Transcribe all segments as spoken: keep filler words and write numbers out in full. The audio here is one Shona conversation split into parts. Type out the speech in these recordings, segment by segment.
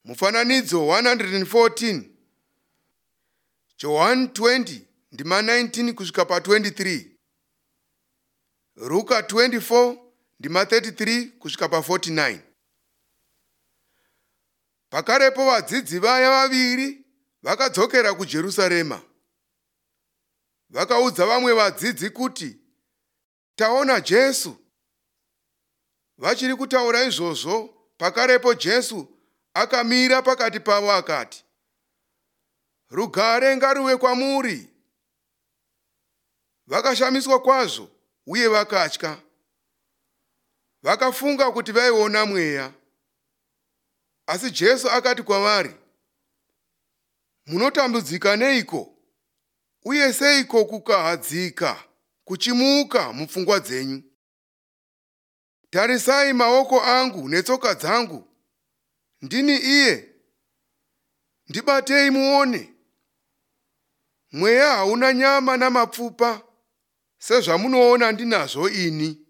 Mufananidzo one hundred fourteen, Johani twenty ndima nineteen kusvika pa twenty-three, Ruka twenty-four ndima thirty-three kusvika pa forty-nine. Pakarepo vadzidzi vaya vaviri vakadzokera kuJerusarema. Vakaudza vamwe vadzidzi kuti, "Taona Jesu." Vachiri kutaura izvozvo, pakarepo Jesu akamira pakati pavo akati, "Rugare ngaruve kwamuri." Vakashamiswa kwazvo uye vakatya. Vakafunga kuti vaiona mweya. Asi Jesu akati kwavari, "Munotambudzika neiko? Uye seiko kukahadzika kuchimuka mupfungwa dzenyu? Tarisai maoko angu netsoka dzangu. Ndini iye. Ndibatei muone. Mweya hauna nyama namapfupa, sezvamunoona ndinazvo ini."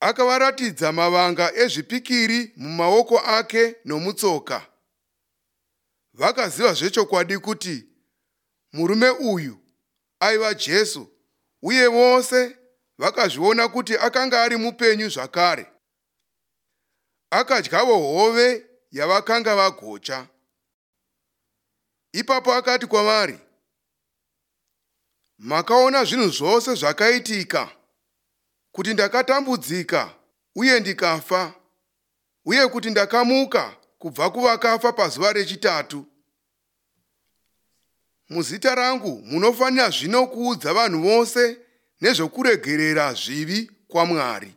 Akavaratidza mavanga ezvipikiri mumaoko ake nomutsoka. Vakaziva zvechokwadi kuti murume uyu aiva Jesu, uye vose vakazviona kuti akanga ari mupenyu zvakare. Akadyawo hove yavakanga vagocha. Ipapo akati kwavari, "Makaona zvinhu zvose zvakaitika, kuti ndakatambudzika uye ndikafa, uye kuti ndakamuka kubva kuvakafa pazuva rechitatu. Muzita rangu munofanira zvino kuudza vanhu vose nezvokuregerera zvivi kwaMwari."